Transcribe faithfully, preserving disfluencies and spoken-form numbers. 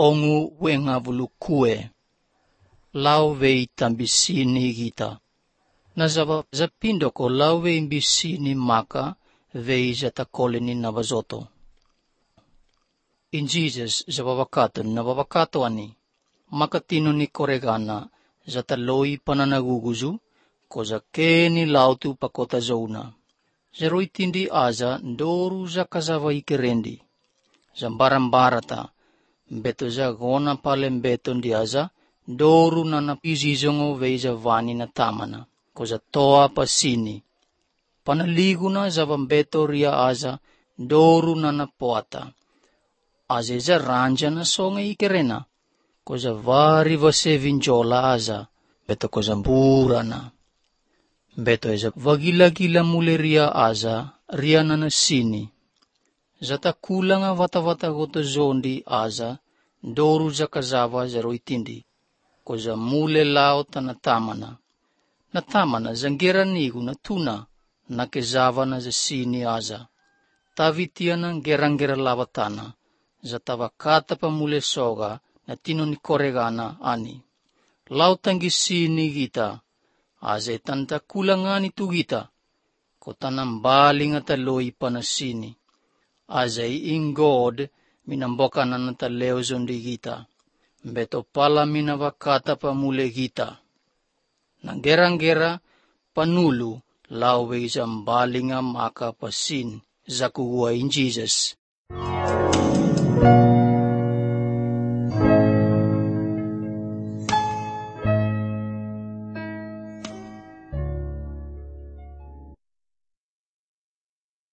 ongu wenga vulukue. Lau vei tambisini gita. Na zava zapindo ko lau vei imbisini maka vei zatakoleni na bazoto. In Jesus zababakato na babakato ani. Makatino ni koregana zataloi pananaguguzu ko zakeni lautu pakota zona. Zeroi tindi aza ndoru za kazava ikerendi. Zambarambarata beto za gona palem beto ndiaza ndoru na napizizongo veiza vani na tamana. Ko za toa pasini. Panaliguna za vambeto ria aza ndoru na napoata. Azeza ranja na songa ikerena. Ko za vari vase vinjola aza beto ko za mburana. Beto eza vagila-gila mule ria aza, ria na nasini. Zata kulanga vata-vata goto zondi aza, ndoru za kazava zero itindi. Ko za mule lao tanatamana. Natamana zangera nigu na tuna, na kezava na zasini aza. Tavitiana gerangera lavatana, zata vakata pa mule soga, na tino ni koregana ani. Lao tangisini gita. Aze tanta kulangani tu gita, ko tanambali nga taloi panasini. Aze in God, minamboka na nataleo zondi gita. Beto pala minavakata pa mule gita. Nangerang-gera panulu, lawe isang bali nga maka pasin, zakuwa in Jesus.